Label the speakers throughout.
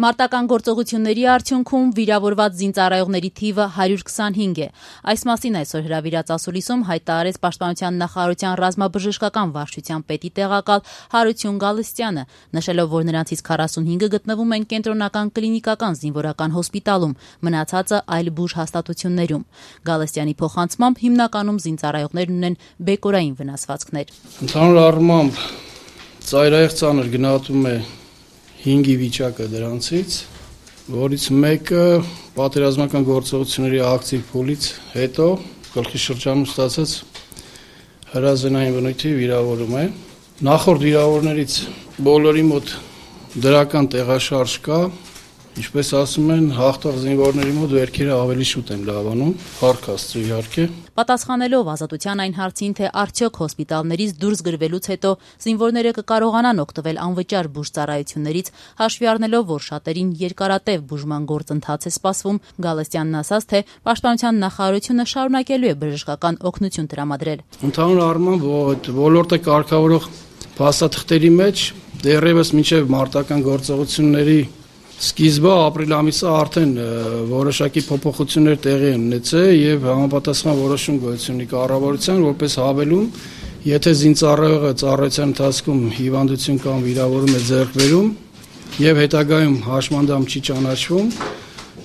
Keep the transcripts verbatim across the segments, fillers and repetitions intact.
Speaker 1: Մարտական գործողությունների արդյունքում վիրավորված զինծառայողների թիվը հարյուր քսանհինգ է։ Այս մասին այսօր հրավիրած ասուլիսում հայտարարեց Պաշտպանության նախարարության ռազմաբժշկական վարչության պետի տեղակալ Հարություն Գալստյանը, նշելով, որ նրանցից քառասունհինգը գտնվում են կենտրոնական կլինիկական զինվորական հոսպիտալում, մնացածը այլ բուժ հաստատություններում։ Գալստյանի փոխանցմամբ հիմնականում զինծառայողներն ունեն բեկորային վնասվածքներ։
Speaker 2: Ընդհանուր առմամբ ծայրահեղ ծանր գնահատում է հինգի վիճակը դրանցից, որից մեկը պատերազմական գործողությունների ակտիվ փուլից հետո գլխի շրջանում ստացած հրազենային բնույթի վիրավորում է։ Նախորդ վիրավորներից բոլորի մոտ դրական տեղաշարժ կա, ինչպես ասում են, հաղթող զինվորների մոտ վերքերը ավելի շուտ են լավանում, փառք Աստծո իհարկե։
Speaker 1: Պատասխանելով Ազատության այն հարցին, թե արդյոք հոսպիտալներից դուրս գրվելուց հետո զինվորները կկարողանան օգտվել անվճար բուժծառայություններից, հաշվի առնելով, որ շատերին երկարատև բուժման գործընթաց է սպասվում, Գալստյանն ասաց, թե Պաշտպանության նախարարությունը շարունակելու է բժշկական օգնություն տրամադրել։
Speaker 2: Ընդհանուր առմամբ ոլորտը կարգավորող փաստաթղթերի մեջ դեռևս մինչև մարտական գործողությունների սկիզբը ապրիլ ամիսը արդեն որոշակի փոփոխություններ տեղի են ունեցել եւ համապատասխան որոշում գոյություն ունի կառավարության, որպես հավելում, եթե զինծառայողը ծառայության ընթացքում հիվանդություն կամ վիրավորում է ձեռք բերում եւ հետագայում հաշմանդամ չի ճանաչվում,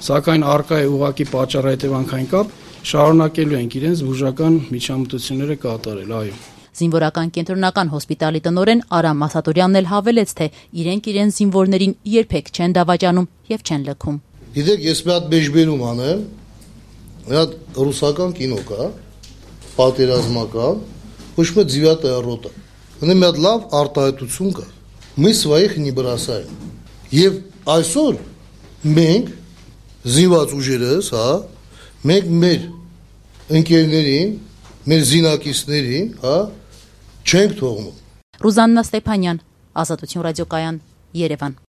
Speaker 2: սակայն առկա է ուղղակի պատճառահետևանքային կապ, շարունակելու ենք իրենց բուժական միջամտությունները կատարել, այո։
Speaker 1: Զինվորական կենտրոնական հոսպիտալի տնօրեն Արամ Ասատուրյանն էլ հավելեց, թե իրենք իրեն զինվորներին երբեք չեն դավաճանում եւ չեն լքում։
Speaker 3: Գիտեք, ես մի հատ մեջբերում անեմ, մի հատ ռուսական կինո կա, պատերազմական, ոչ մի ձիվատա ռոտա։ Ունի մի հատ լավ արտահայտություն կա։ Мы своих не бросаем։ Եվ այսօր մենք զինված ուժերս, հա, մենք մեր ընկերներին, մեր զինակիցներին, հա, չենք թողնում։
Speaker 1: Ռուզաննա Ստեփանյան, Ազատություն ռադիոկայան, Երևան։